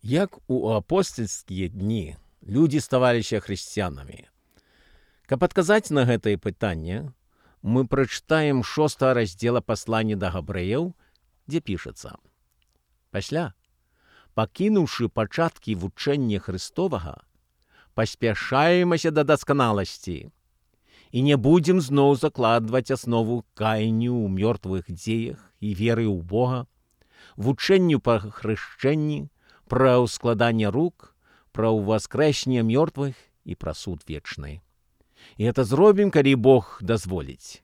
Як у апостольскія дні людзі ставаліся хрысціянамі? Каб адказаць на гэтае пытанне, мы прачытаем 6 раздзела паслання да габрэяў, дзе пішацца: «Пасля, пакінуўшы пачаткі вучэння Христовага, паспяшаемся да дасканаласці і не будзем зноў закладваць аснову каянню ў мёртвых дзеях і веры ў Бога, вучэнню па хрышчэнні, пра ўскладанне рук, пра ўваскрэсенне мёртвых і пра суд вечны. І гэта зробім, калі Бог дазволіць».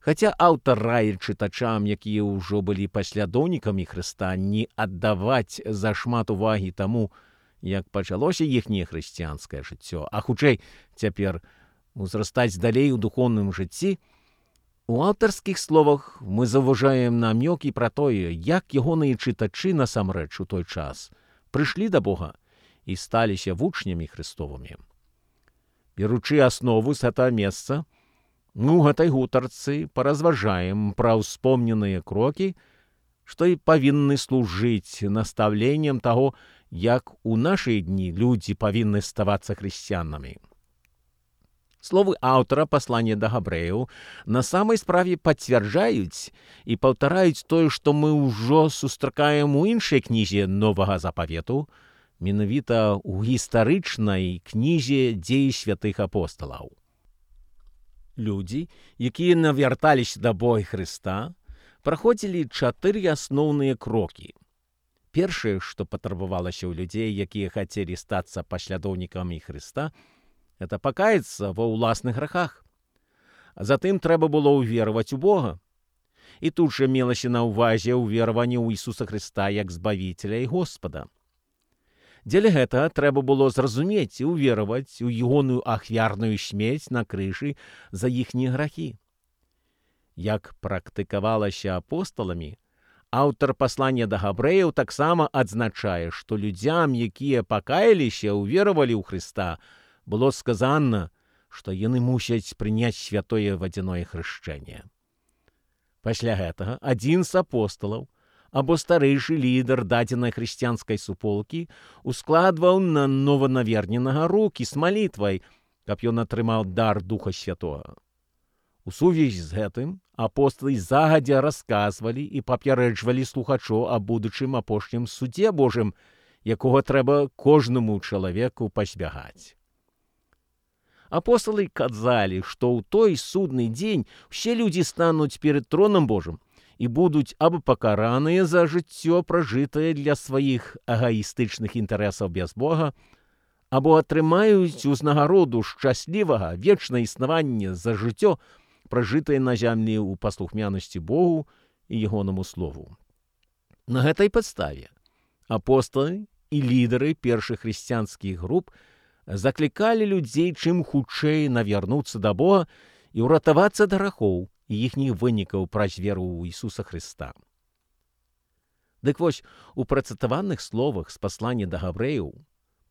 Хаця аўтар раіць чытачам, якія ўжо былі паслядоўнікамі Хрыста, не аддаваць зашмат увагі таму, як пачалося іхняе хрысціянскае жыццё, а хутчэй цяпер узрастаць далей у духоўным жыцці, у аўтарскіх словах мы заўважаем намёкі пра тое, як ягоныя чытачы насамрэч у той час прыйшлі да Бога і сталіся вучнямі Хрыстовымі. Беручы аснову з гэтага месца, мы ў гэтай гутарцы паразважаем пра ўспомненыя крокі, што і павінны служыць настаўленнем таго, як у нашыя дні людзі павінны ставацца хрысціянамі. Словы аўтара паслання да габрэяў на самай справе пацвярджаюць і паўтараюць тое, што мы ўжо сустракаем у іншай кнізе Новага Запавету, менавіта ў гістарычнай кнізе «Дзеі святых апосталаў». Людзі, якія навярталіся да Бога Хрыста, праходзілі 4 асноўныя крокі. Першае, што патрабавалася ў людзей, якія хацелі стацца паслядоўнікамі Хрыста, это пакаяцца ва ўласных грахах. А затым трэба было ўвераваць у Бога. І тут жа мелася на ўвазе ўвераванне ў Ісуса Хрыста як Збавіцеля і Господа. Дзеля гэтага трэба было зразумець і ўвераваць у ягоную ахвярную смерць на крыжы за іхнія грахі. Як практыкавалася апосталамі, аўтар паслання да габрэяў таксама адзначае, што людзям, якія пакаяліся, уверавалі ў Хрыста, было сказана, што яны мусяць прыняць святое вадзяное хрышчэнне. Пасля гэтага адзін з апосталаў або старэйшы лідар дадзенай хрысціянскай суполкі ускладваў на нованаверненага рукі з малітвай, каб ён атрымаў дар Духа Святога. У сувязі з гэтым апосталы загадзя расказвалі і папярэджвалі слухачоў аб будучым апошнім судзе Божым, якога трэба кожнаму чалавеку пазбягаць. Апосталы казалі, што ў той судны дзень усе людзі стануць перад тронам Божым і будуць або пакараныя за жыццё, пражытае для сваіх эгаістычных інтарэсаў без Бога, або атрымаюць узнагароду шчаслівага вечнае існавання за жыццё, пражытае на зямлі ў паслухмянасці Богу і ягонаму слову. На гэтай падставе апосталы і лідары першых хрысціянскіх груп заклікалі людзей чым хутчэй навярнуцца да Бога і ўратавацца ад грахоў і іхніх вынікаў праз веру ў Ісуса Хрыста. Дык вось, у працытаваных словах з паслання да габрэяў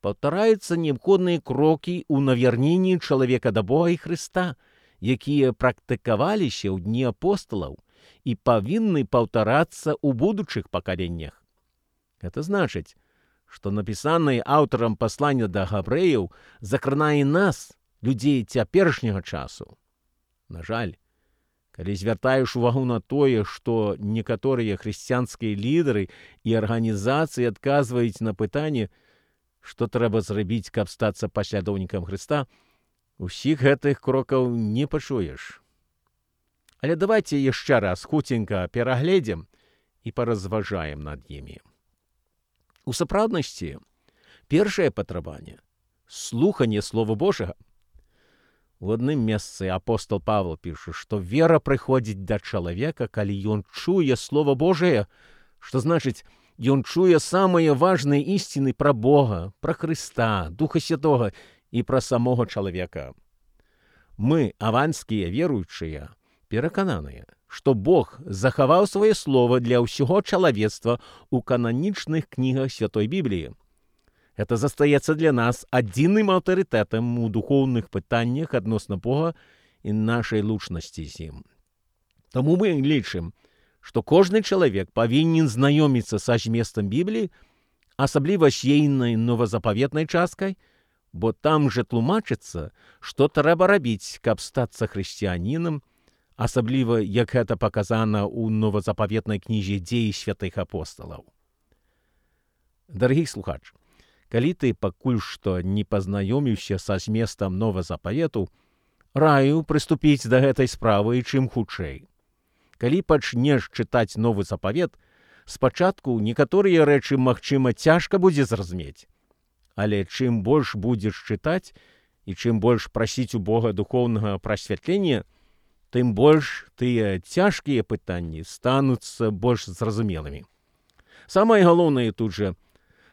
паўтараюцца неабходныя крокі ў навярненні чалавека да Бога і Хрыста, якія практыкаваліся ў дні апосталаў і павінны паўтарацца ў будучых пакаленнях. Гэта значыць, што напісанае аўтарам паслання да габрэяў закранае нас, людзей цяперашняга часу. На жаль, калі звяртаеш увагу на тое, што некаторыя хрысціянскія лідары і арганізацыі адказваюць на пытанне, што трэба зрабіць, каб стацца паслядоўнікам Хрыста, усіх гэтых крокаў не пачуеш. Але давайце яшчэ раз хуценька перагледзім і паразважаем над імі. У сапраўднасці, першае патрабаванне – слуханне Слова Божага. У адным месцы апостол Павел піша, што вера прыходзіць да чалавека, калі ён чуе Слова Божае, што значыць, ён чуе самыя важныя ісціны пра Бога, пра Хрыста, Духа Святога і пра самога чалавека. Мы, аванскія веруючыя, перакананыя, што Бог захаваў сваё слова для ўсяго чалавецтва ў кананічных кнігах Святой Бібліі. Гэта застаецца для нас адзіным аўтарытэтам у духоўных пытаннях адносна Бога і нашай лучнасці з ім. Таму мы лічым, што кожны чалавек павінен знаёміцца са зместам Бібліі, асабліва з ейнай новазапаветнай часткай, бо там жа тлумачыцца, што трэба рабіць, каб стацца хрысціянінам, асабліва, як гэта паказана ў новазапаветнай кнізе дзеі святых апосталаў. Дарагі слухач, калі ты пакуль што не пазнаёміўся са зместам новазапавету, раю прыступіць да гэтай справы чым хутчэй. Калі пачнеш чытаць новы запавет, спачатку некаторыя рэчы, магчыма, цяжка будзе зразумець. Але чым больш будзеш чытаць і чым больш прасіць у Бога духоўнага прасвятлення, тым больш тыя цяжкія пытанні стануцца больш зразумелымі. Самае галоўнае тут жа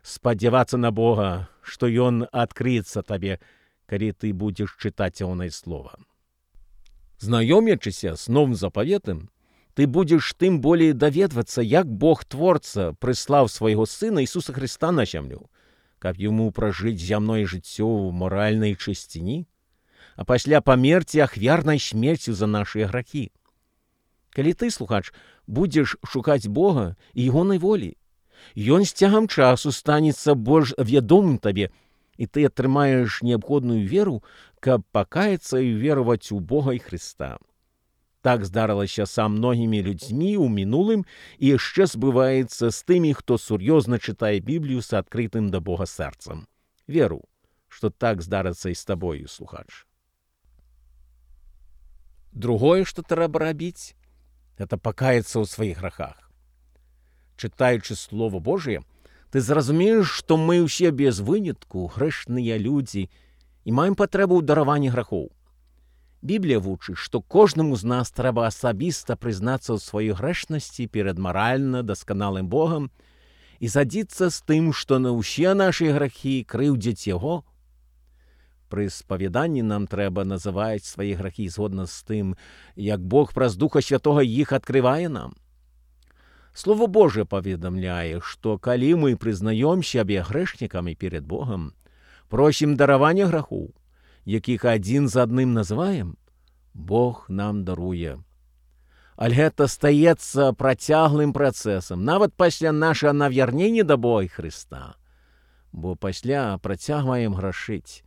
спадзявацца на Бога, што Ён адкрыецца табе, калі ты будзеш чытаць ягонае слова. Знаёмячыся з новым запаветам, ты будзеш тым болей даведвацца, як Бог-творца прыслаў свайго Сына Ісуса Хрыста на зямлю, каб яму пражыць зямное жыццё ў маральнай чысціні, а пасля памерці ахвярнай смерцю за нашыя грахі. Калі ты, слухач, будзеш шукаць Бога і ягонай волі, Ён з цягам часу станецца больш вядомым табе, і ты атрымаеш неабходную веру, каб пакаяцца і вераваць у Бога і Хрыста. Так здарылася са многімі людзьмі ў мінулым і яшчэ збываецца з тымі, хто сур'ёзна чытае Біблію з адкрытым да Бога сэрцам. Веру, што так здарыцца і з табою, слухач. Другое, што трэба рабіць, гэта пакаяцца ў сваіх грахах. Чытаючы Слово Божие, ты зразумееш, што мы ўсе без вынятку грэшныя людзі і маем патрэбу ў дараванні грахоў. Біблія вучыць, што кожнаму з нас трэба асабіста прызнацца ў сваёй грэшнасці перад маральна дасканалым Богам і згадзіцца з тым, што на ўсе нашы грахі крыўдзяць Яго. Пры спавяданні нам трэба называць свае грахі згодна з тым, як Бог праз Духа Святога іх адкрывае нам. Слово Божие паведамляе, што калі мы прызнаём сябе грэшнікамі перед Богам, просім даравання грахоў, якіх адзін за адным называем, Бог нам даруе. Але гэта стаецца працяглым працэсам, нават пасля нашага навярнення да Бога і Хрыста, бо пасля працягваем грашыць.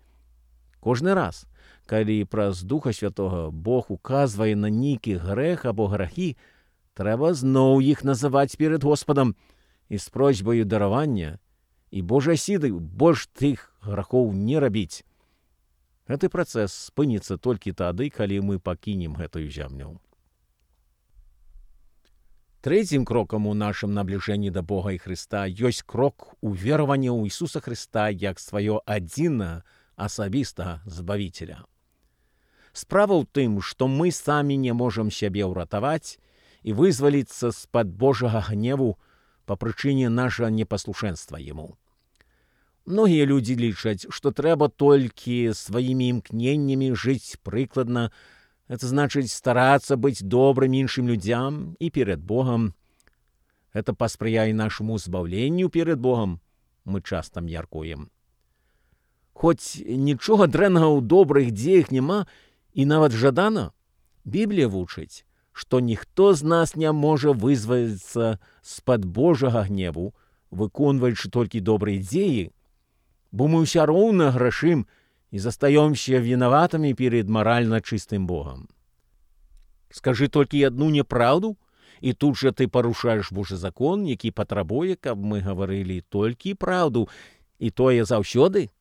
Кожны раз, калі праз Духа Святога Бог указвае на нейкі грэх або грахі, трэба зноў іх называць перед Господам і з просьбаю даравання і Божай сілай больш тых грахоў не рабіць. Гэты працэс спыніцца толькі тады, калі мы пакінем гэтую зямлю. Трэцім крокам у нашым набліжэнні да Бога і Хрыста ёсць крок уверавання ў Ісуса Хрыста як сваё адзінае асабістага збавіцеля. Справа ў тым, што мы самі не можам сябе ўратаваць і вызваліцца з-пад Божага гневу па прычыне нашага непаслушэнства Яму. Многія людзі лічаць, што трэба толькі сваімі імкненнямі жыць прыкладна, это значыць старацца быць добрым іншым людзям і перед Богам. Гэта паспрыяе нашаму збаўленню перед Богам, мы часта мяркуем. Хоць нічога дрэннага ў добрых дзеях няма і нават жадана, Біблія вучыць, што ніхто з нас не можа вызваліцца з-пад Божага гневу, выконваючы толькі добрыя дзеі, бо мы ўсё роўна грашым і застаёмся вінаватымі перед маральна чыстым Богам. Скажы толькі адну няпраўду, і тут жа ты парушаеш Божы закон, які патрабуе, каб мы гаварылі толькі праўду, і тое заўсёды.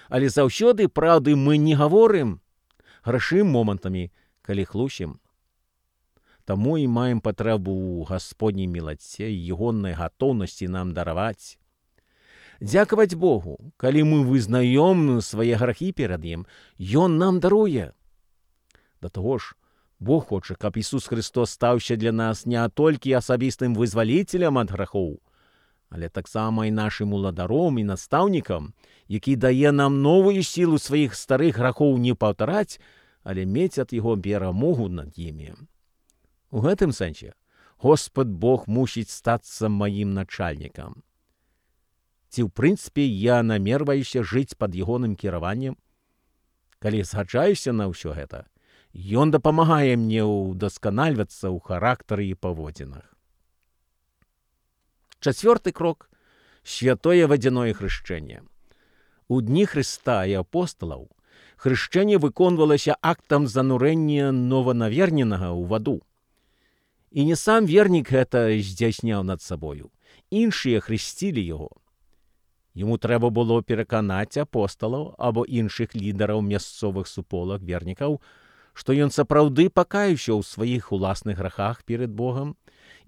Але заўсёды праўды мы не гаворым, грашым момантамі, калі хлусім. Таму і маем патрэбу ў Гасподняй мілаце і ягонай гатоўнасці нам дараваць. Дзякаваць Богу, калі мы вызнаём свае грахі перад Ім, Ён нам даруе. Да таго ж, Бог хоча, каб Ісус Хрыстос стаўся для нас не толькі асабістым вызваліцелем ад грахоў, але таксама і нашым уладаром і настаўнікам, які дае нам новую сілу сваіх старых грахоў не паўтараць, але мець ад Яго перамогу над імі. У гэтым сэнсе Господ Бог мусіць стацца маім начальнікам. Ці ў прынцыпе я намерваюся жыць пад ягоным кіраваннем? Калі згаджаюся на ўсё гэта, Ён дапамагае мне ўдасканальвацца ў характары і паводзінах. 4 крок – святое вадзяное хрышчэнне. У дні Хрыста і апосталаў хрышчэнне выконвалася актам занурэння нованаверненага ў ваду. І не сам вернік гэта здзяйсняў над сабою. Іншыя хрысцілі яго. Яму трэба было пераканаць апосталаў або іншых лідараў мясцовых суполак вернікаў, што ён сапраўды пакаяўся ў сваіх уласных грахах перад Богам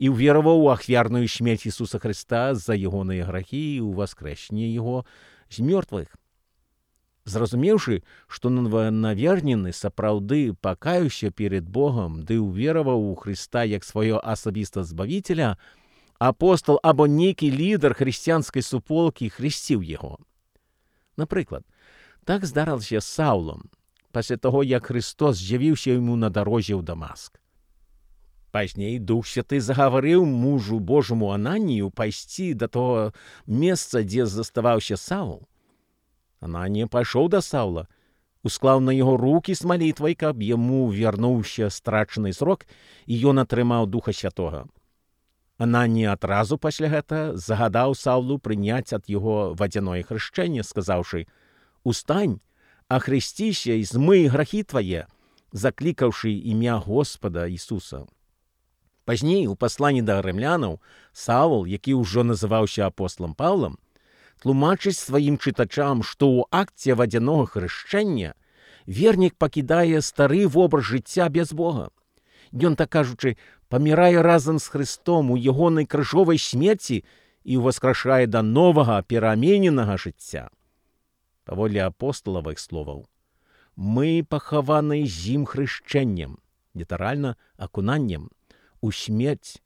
і ўвераваў у ахвярную смерць Ісуса Хрыста за ягоныя грахі і ў воскрэсенне яго з мёртвых. Зразумеўшы, што нованавернены сапраўды пакаяўся перад Богам ды ўвераваў у Хрыста як свайго асабіста збавіцеля, апостал або нейкі лідар хрысціянскай суполкі хрысціў яго. Напрыклад, так здарылася з Саулом, пасля таго, як Христос з'явіўся яму на дарозе ў Дамаск. Пазней Дух Святы загаварыў мужу Божаму Ананію пайсці да того месца, дзе заставаўся Саул. Ананія пайшоў да Саула, усклаў на яго рукі з малітвай, каб яму вярнуўся страчаны зрок, і ён атрымаў Духа Святога. Ананія адразу пасля гэта загадаў Саулу прыняць ад яго вадзяное хрышчэнне, сказаўшы: «Устань, ахрысціся і змый грахі твае», заклікаўшы імя Господа Ісуса. Пазней у пасланні да рымлянаў Саул, які ўжо называўся апосталам Паўлам, тлумачыць сваім чытачам, што ў акце вадзянога хрышчэння вернік пакідае стары вобраз жыцця без Бога. Ён, так кажучы, памірае разам з Христом у ягонай крыжовай смерці і ўваскрашае да новага перамененага жыцця. Паводле апосталавых словаў, мы пахаваны з ім хрышчэннем, літаральна акунаннем, у смерць,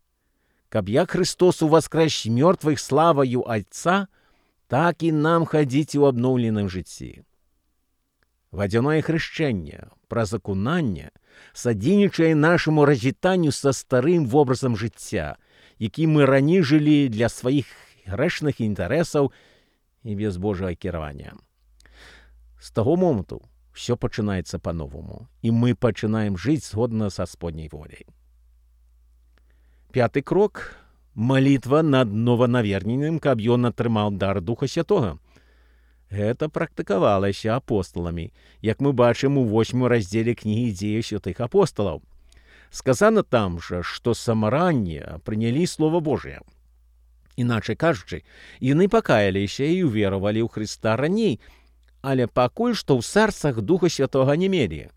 каб як Христос уваскрэс з мёртвых славаю Альца, так і нам хадзіць у абноўленым жыцці. Вадзяное хрышчэнне праз акунанне садзейнічае нашаму развітанню са старым вобразам жыцця, які мы раней жылі для сваіх грэшных інтарэсаў і без Божага кіравання. З таго моманту ўсё пачынаецца па-новаму, і мы пачынаем жыць згодна са Гасподняй воляй. 5 крок – малітва над нованаверненым, каб ён атрымаў дар Духа Святога. Гэта практыкавалася апосталамі, як мы бачым у 8 раздзеле кнігі дзеяў святых апосталаў. Сказана там жа, што самаранне прынялі Слова Божие. Іначай кажучы, яны пакаяліся і ўверавалі ў Хрыста раней, але пакуль што ў сэрцах Духа Святога не мелі.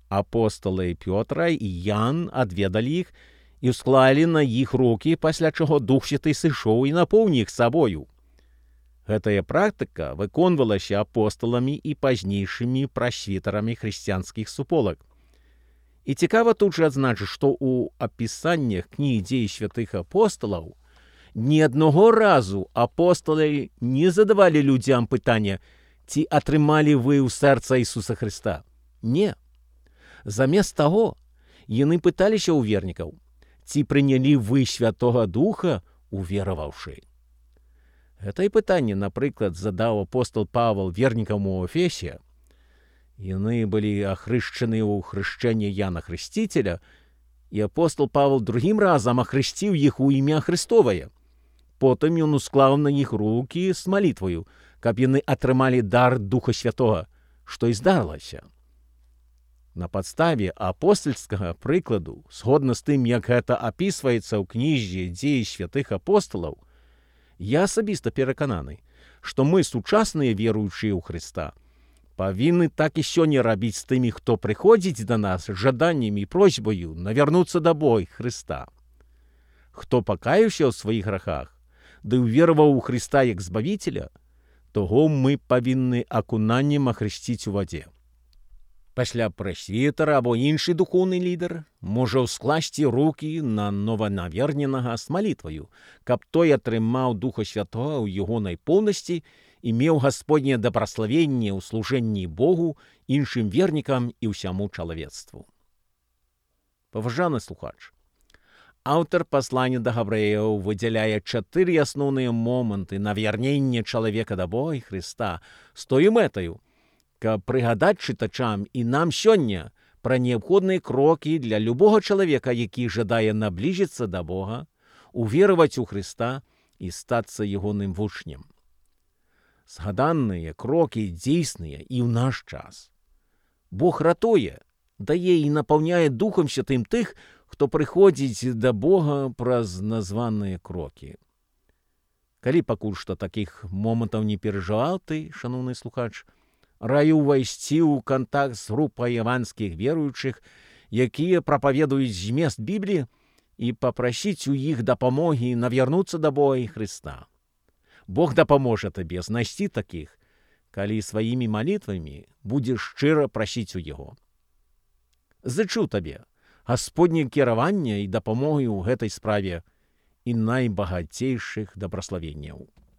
Апосталы Пётра і Ян адведалі іх і ўсклалі на іх рукі, пасля чаго Дух Святы сышоў і напоўніў іх сабою. Гэтая практыка выконвалася апосталамі і пазнейшымі прасвітарамі хрысціянскіх суполак. І цікава тут жа адзначыць, што ў апісаннях кнігі дзеяў святых апосталаў ні аднаго разу апосталы не задавалі людзям пытання, ці атрымалі вы ў сэрца Ісуса Хрыста. Не. Замест таго, яны пыталіся ў вернікаў, ці прынялі вы Святога Духа, увераваўшы. Гэта і пытанне, напрыклад, задаў апостал Павал вернікам у Эфесе. Яны былі ахрышчаны ў хрышчэнне Яна Хрысціцеля, і апостал Павал другім разам ахрысціў іх у імя Хрыстовае. Потым ён усклаў на іх рукі з малітваю, каб яны атрымалі дар Духа Святога, што і здарылася. На падставе апостальскага прыкладу, згодна з тым, як гэта апісваецца ў кнізе дзеяў святых апосталаў, я асабіста перакананы, што мы, сучасныя веруючыя ў Хрыста, павінны так і сёння рабіць з тымі, хто прыходзіць да нас з жаданнем і просьбаю навярнуцца да Бога Хрыста. Хто пакаяўся ў сваіх грахах, ды ўвераваў у Хрыста як збавіцеля, того мы павінны акунаннем ахрысціць у вадзе. Пасля прэсвітара або іншы духоўны лідар можа ўскласці рукі на нованаверненага з малітваю, каб той атрымаў Духа Святога ў ягонай поўнасці і меў Гасподняе дабраславенне ў служэнні Богу, іншым вернікам і ўсяму чалавецтву. Паважаны слухач, аўтар паслання да габрэяў выдзяляе 4 асноўныя моманты навярнення чалавека да Бога і Хрыста з тою мэтаю, каб прыгадаць чытачам і нам сёння пра неабходныя крокі для любога чалавека, які жадае набліжыцца да Бога, увераваць у Хрыста і стацца ягоным вучнем. Згаданыя крокі дзейсныя і ў наш час. Бог ратуе, дае і напаўняе Духам Святым тых, хто прыходзіць да Бога праз названыя крокі. Калі пакуль што такіх момантаў не перажываў ты, шаноўны слухач, раю ўвайсці ў кантакт з групай іванскіх веруючых, якія прапаведуюць змест Бібліі, і папрасіць у іх дапамогі навярнуцца да Бога і Хрыста. Бог дапаможа табе знайсці такіх, калі сваімі малітвамі будзеш шчыра прасіць у Яго. Зычу табе Гасподняе кіраванне і дапамогі ў гэтай справе і найбагацейшых дабраславенняў.